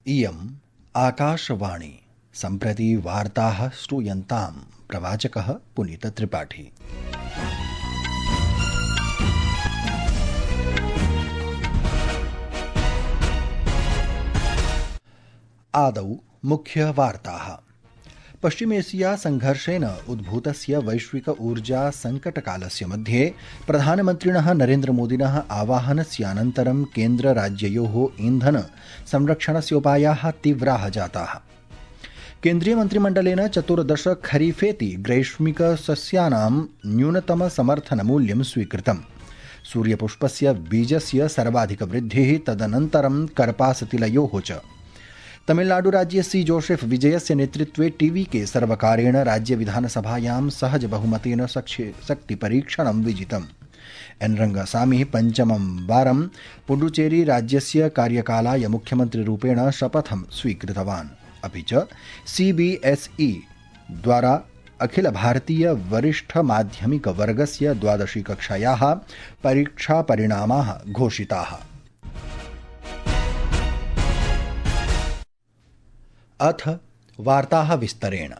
इयम् आकाशवाणी। सम्प्रति वार्ताः श्रूयन्तां प्रवाचकः पुनीतत्रिपाठी। आदौ मुख्यवार्ताः। पश्चिमेशिया संघर्षेण उद्भूतस्य वैश्विक ऊर्जा संकटकालस्य मध्ये प्रधानमन्त्रिणः नरेन्द्रमोदिनः आवाहनस्यानन्तरं केन्द्रराज्ययोः ईन्धन संरक्षणस्योपायाः तीव्राः जाताः। केन्द्रीयमन्त्रिमण्डलेन 14 खरीफेति ग्रैष्मिकसस्यानां न्यूनतमसमर्थनमूल्यं स्वीकृतम्। सूर्यपुष्पस्य बीजस्य सर्वाधिकवृद्धिः, तदनन्तरं कर्पासतिलयोः च। तमिलनाडुराज्ये सी जोसेफ विजयस्य नेतृत्वे टीवीके सर्वकारेण राज्यविधानसभायां सहज बहुमतेन शक्तिपरीक्षणं विजितम्। एन रंगसामी पञ्चमं वारं पुडुचेरी राज्यस्य कार्यकालाय मुख्यमन्त्रिरूपेण शपथं स्वीकृतवान्। अपि च CBSE द्वारा अखिल भारतीय वरिष्ठ माध्यमिक वर्गस्य 12शी कक्षायाः परीक्षापरिणामाः घोषिताः। अथ वार्ताः विस्तरेण।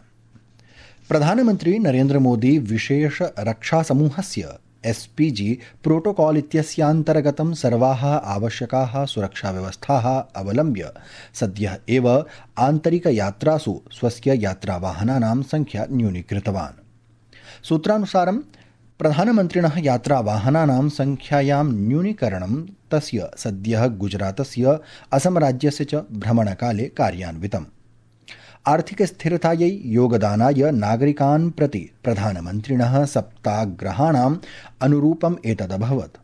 प्रधानमन्त्री नरेन्द्र मोदी विशेष रक्षासमूहस्य SPG प्रोटोकॉल इत्यस्यान्तर्गतं सर्वाः आवश्यकाः सुरक्षाव्यवस्थाः अवलम्ब्य सद्यः एव आन्तरिकयात्रासु स्वस्य यात्रावाहनानां संख्या न्यूनीकृतवान्। सूत्रानुसारं प्रधानमन्त्रिणः यात्रावाहनानां संख्यायां न्यूनीकरणं तस्य सद्यः गुजरातस्य असम राज्यस्य च भ्रमणकाले कार्यान्वितम्। आर्थिक स्थिरतायै योगदानाय नागरिकान् प्रति प्रधानमन्त्रिणः सप्ताग्रहाणाम् अनुरूपम् एतदभवत्।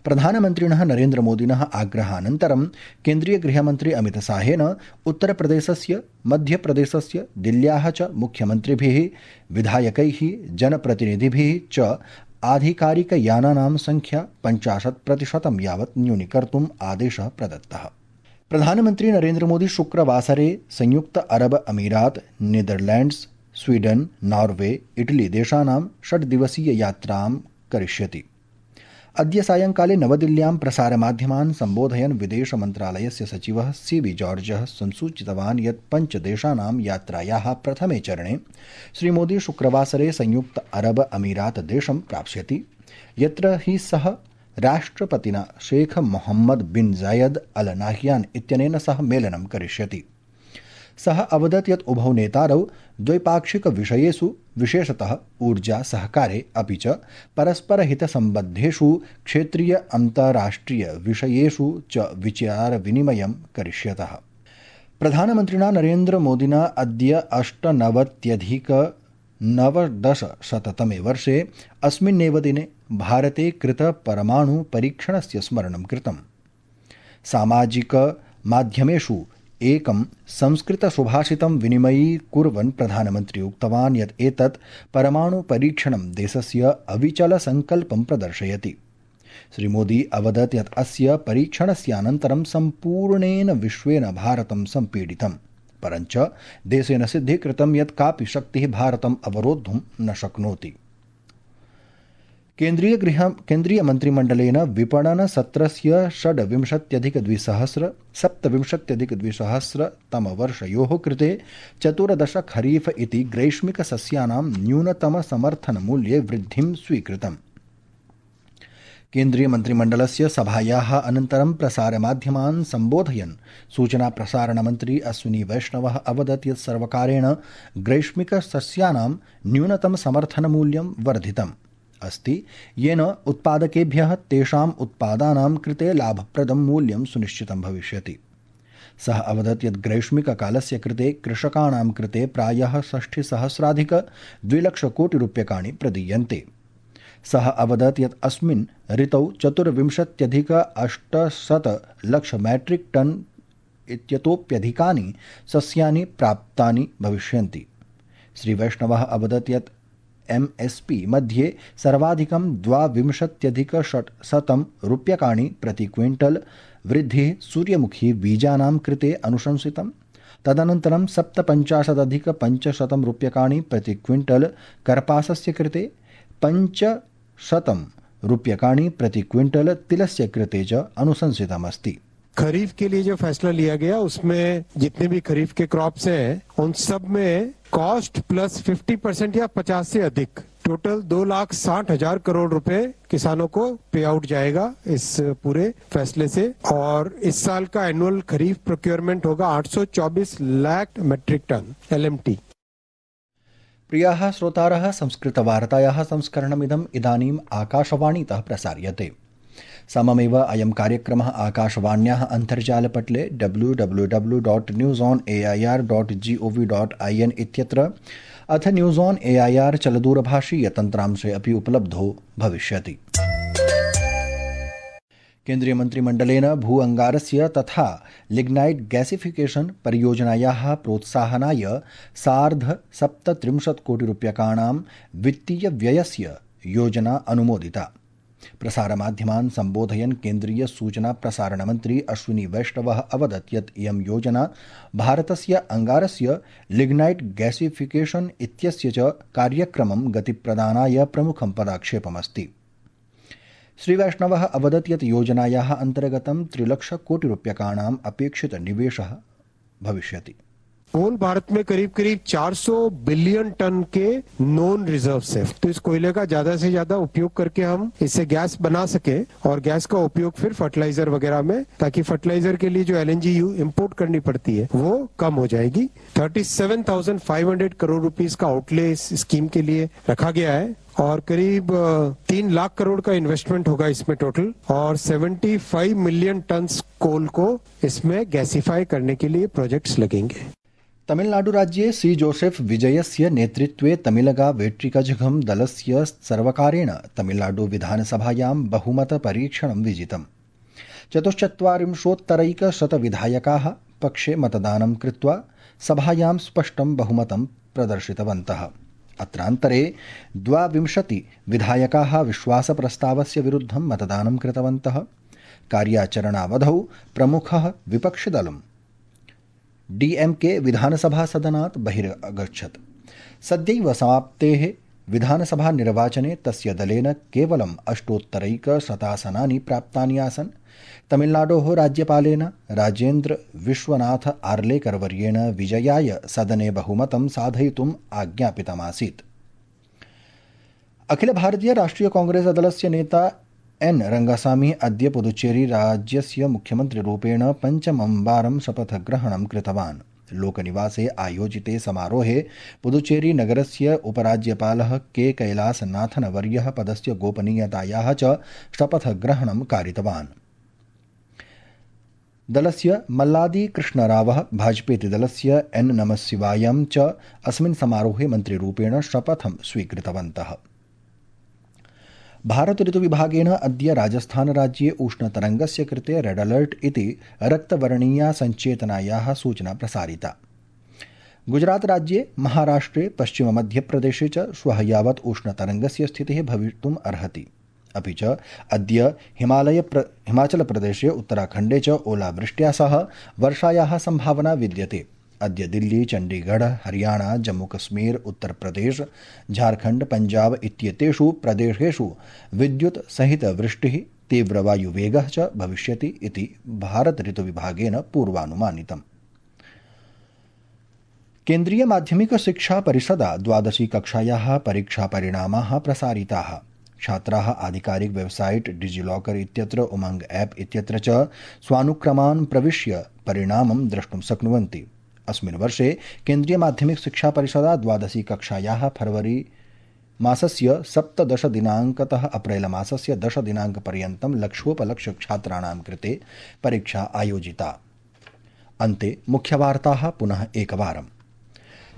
प्रधानमन्त्रिणः नरेन्द्रमोदिनः आग्रहानन्तरं केन्द्रीयगृहमन्त्री अमितशाहेन उत्तरप्रदेशस्य, मध्यप्रदेशस्य, दिल्ल्याः च मुख्यमन्त्रिभिः, विधायकैः, जनप्रतिनिधिभिः च आधिकारिकयानानां संख्या 50% यावत् न्यूनीकर्तुम् आदेशः प्रदत्तः। प्रधानमन्त्री नरेन्द्र मोदी शुक्रवासरे संयुक्त अरब अमीरात, नीदरलैंड्स, स्वीडन, नॉर्वे, इटली देशानां 6 दिवसीय यात्रां करिष्यति। अद्य सायंकाले नवदिल्ल्यां प्रसारमाध्यमान् सम्बोधयन् विदेशमन्त्रालयस्य सचिवः CB जॉर्जः संसूचितवान् यत् 5 देशानां यात्रायाः प्रथमे चरणे श्रीमोदी शुक्रवासरे संयुक्त अरब अमीरात देशं प्राप्स्यति, यत्र हि सः राष्ट्रपतिना शेख मोहम्मद बिन जायद अल नाह्यान इत्यनेन सह मेलनं करिष्यति। सः अवदत् यत् उभौ नेतारौ द्वैपाक्षिक विषयेषु, विशेषतः ऊर्जा सहकारे अपि च परस्परहितसम्बद्धेषु क्षेत्रीय अन्ताराष्ट्रिय विषयेषु च विचारविनिमयं करिष्यतः। प्रधानमन्त्रिणा नरेन्द्र मोदिना अद्य 98-9/10 वर्षे अस्मिन्नेव दिने भारते कृत परमाणु परीक्षणस्य स्मरणं कृतम्। सामाजिक माध्यमेषु एकं संस्कृतसुभाषितं विनिमयीकुर्वन् प्रधानमन्त्री उक्तवान् यत् एतत् परमाणु परीक्षणं देशस्य अविचलसङ्कल्पं प्रदर्शयति। श्रीमोदी अवदत् यत् अस्य परीक्षणस्यानन्तरं सम्पूर्णेन विश्वेन भारतं सम्पीडितम्, परञ्च देशेन सिद्धीकृतं यत् कापि शक्तिः भारतम् अवरोद्धुं न शक्नोति। केन्द्रीयमन्त्रिमण्डलेन विपणनसत्रस्य 26-27-2027 कृते 14 खरीफ इति ग्रैष्मिकसस्यानां न्यूनतमसमर्थनमूल्ये वृद्धिं स्वीकृतम्। केन्द्रीयमन्त्रिमण्डलस्य सभायाः अनन्तरं प्रसारमाध्यमान् सम्बोधयन् सूचनाप्रसारणमन्त्री अश्विनी वैष्णवः अवदत् यत् सर्वकारेण ग्रैष्मिकसस्यानां न्यूनतमसमर्थनमूल्यं वर्धितम् अस्ति, येन उत्पादकेभ्यः तेषाम् उत्पादानां कृते लाभप्रदं मूल्यं सुनिश्चितं भविष्यति। सः अवदत् यत् ग्रैष्मिककालस्य कृते कृषकाणां कृते प्रायः 60,000-2 लक्षकोटिरूप्यकाणि प्रदीयन्ते। सः अवदत् यत् अस्मिन् ऋतौ 24,800 लक्ष मैट्रिक टन इत्यतोप्यधिकानि सस्यानि प्राप्तानि भविष्यन्ति। श्रीवैष्णवः अवदत् यत् MSP मध्ये सर्वाधिकं 22,600 रूप्यकाणि प्रति क्विंटल वृद्धिः सूर्यमुखी बीजानां कृते अनुशंसितम्। तदनन्तरं 57,500 रूप्यकाणि प्रति क्विंटल कर्पासस्य कृते, 500 रूप्यकाणि प्रति क्विंटल तिलस्य कृते च अनुशंसितमस्ति। खरीफ के लिए जो फैसला लिया गया उसमें जितने भी खरीफ के क्रॉप्स हैं उन सब में कॉस्ट प्लस 50% या 50 से अधिक टोटल 2,60,000 करोड़ रुपए किसानों को पे आउट जाएगा इस पूरे फैसले से। और इस साल का एनुअल खरीफ प्रोक्योरमेंट होगा 824 लाख मेट्रिक टन LMT। प्रियाः श्रोतारः, संस्कृतवार्तायाः संस्करणमिदम् इदानीम् आकाशवाणीतः प्रसार्यते। सममेव अयं कार्यक्रमः आकाशवाण्याः अन्तर्जालपटले www.newsonair.gov.in इत्यत्र अथ न्यूज़ ऑन AIR चलदूरभाषीयतन्त्रांशे अपि उपलब्धो भविष्यति। केन्द्रीय मन्त्रिमण्डलेन भू अंगारस्य तथा लिग्नाइट गैसिफिकेशन परियोजनायाः प्रोत्साहनाय सार्ध-37 कोटिरूप्यकाणां वित्तीयव्ययस्य योजना अनुमोदिता। प्रसारमाध्यमान् सम्बोधयन् केन्द्रीय सूचना प्रसारणमन्त्री अश्विनी वैष्णवः अवदत् यत् इयं योजना भारतस्य अंगारस्य लिग्नाइट गैसिफिकेशन इत्यस्य च कार्यक्रमं गतिप्रदानाय प्रमुखं पदक्षेपमस्ति। श्रीवैष्णवः अवदत् यत् योजनायाः अन्तर्गतं 3,00,000 कोटिरूप्यकाणाम् अपेक्षित निवेशः भविष्यति। पूर्ण भारत में करीब 400 बिलियन टन के नॉन रिजर्व्स है, तो इस कोयले का ज्यादा से ज्यादा उपयोग करके हम इससे गैस बना सके और गैस का उपयोग फिर फर्टिलाइजर वगैरह में, ताकि फर्टिलाइजर के लिए जो LNG इंपोर्ट करनी पड़ती है वो कम हो जाएगी। 37,500 करोड़ रुपीस का आउटले इस स्कीम के लिए रखा गया है और करीब 3 लाख करोड़ का इन्वेस्टमेंट होगा इसमें टोटल, और 75 मिलियन टन कोल को इसमें गैसिफाई करने के लिए प्रोजेक्ट्स लगेंगे। तमिलनाडुराज्ये सी जोसेफ विजयस्य नेतृत्वे तमिलगा वेट्रिकझगम दलस्य सर्वकारेण तमिलनाडु विधानसभायां बहुमतपरीक्षणं विजितम्। 44,000 विधायकाः पक्षे मतदानं कृत्वा सभायां स्पष्टं बहुमतं प्रदर्शितवन्तः। अत्रान्तरे 22 विधायकाः विश्वासप्रस्तावस्य विरुद्धं मतदानं कृतवन्तः। कार्याचरणावधौ प्रमुखः विपक्षिदलं DMK विधानसभा सदनात् बहिरगच्छत्। सद्यैव समाप्तेः विधानसभा निर्वाचने तस्य दलेन केवलं 8,100 आसनानि प्राप्तानि आसन्। तमिलनाडोः राज्यपालेन राजेन्द्र विश्वनाथ आर्लेकरवर्येण विजयाय सदने बहुमतं साधयितुम् आज्ञापितमासीत्। अखिल भारतीय राष्ट्रिय कांग्रेस दलस्य नेता N रंगासामी अद्य पुदुचेरी राज्यस्य मुख्यमन्त्रिरूपेण पञ्चमं वारं शपथग्रहणं कृतवान्। लोकनिवासे आयोजिते समारोहे पुदुचेरी नगरस्य उपराज्यपालः K कैलासनाथन वर्यः पदस्य गोपनीयतायाः च शपथग्रहणं कारितवान्। दलस्य मल्लादी कृष्णरावः भाजपेति दलस्य N नमःशिवायं च अस्मिन् समारोहे मन्त्रिरूपेण शपथं स्वीकृतवन्तः। भारत ऋतुविभागेन अद्य राजस्थानराज्ये उष्णतरङ्गस्य कृते रेड अलर्ट इति रक्तवर्णीया सञ्चेतनायाः सूचना प्रसारिता। गुजरातराज्ये, महाराष्ट्रे, पश्चिममध्यप्रदेशे च श्वः यावत् उष्णतरङ्गस्य स्थितिः भवितुम् अर्हति। अपि च अद्य हिमाचलप्रदेशे, उत्तराखण्डे च ओलावृष्ट्या सह वर्षायाः सम्भावना विद्यते। अद्य दिल्ली, चण्डीगढ़, हरियाणा, जम्मूकश्मीर, उत्तरप्रदेश, झारखण्ड, पञ्जाब इत्येतेषु प्रदेशेषु विद्युत् सहित वृष्टिः, तीव्रवायुवेगः च भविष्यति इति भारत ऋतुविभागेन पूर्वानुमानितम्। केन्द्रीय माध्यमिक शिक्षा परिषदा 12वी कक्षायाः परीक्षापरिणामाः प्रसारिताः। छात्राः आधिकारिक वेबसाइट डिजिलॉकर इत्यत्र, उमंग ऐप इत्यत्र च स्वानुक्रमान् प्रविश्य परिणामं द्रष्टुं शक्नुवन्ति। अस्मिन् वर्षे केन्द्रीय माध्यमिक शिक्षा परिषदा 12वी कक्षायाः फरवरी मासस्य 17 दिनाङ्कतः अप्रैल मासस्य 10 दिनाङ्कपर्यन्तं लक्षोपलक्ष्य छात्राणां कृते परीक्षा आयोजिता। अन्ते मुख्यवार्ताः पुनः एकवारम्।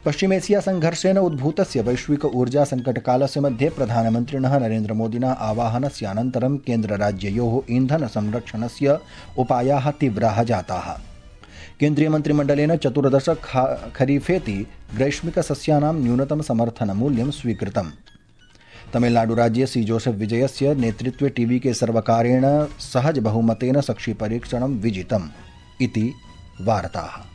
पश्चिमेशिया संघर्षेण उद्भूतस्य वैश्विक ऊर्जा संकटकालस्य मध्ये प्रधानमन्त्रिणः नरेन्द्रमोदिनः आवाहनस्य अनन्तरं केन्द्रराज्ययोः ईन्धन संरक्षणस्य उपायाः तीव्राः जाताः। केन्द्रीयमन्त्रिमण्डलेन 14 खरीफेति ग्रैष्मिकसस्यानां न्यूनतम समर्थनमूल्यं स्वीकृतम्। तमिलनाडुराज्ये सी जोसेफ विजयस्य नेतृत्वे TVK सर्वकारेण सहज बहुमतेन सक्षिपरीक्षणं विजितम् इति वार्ताः।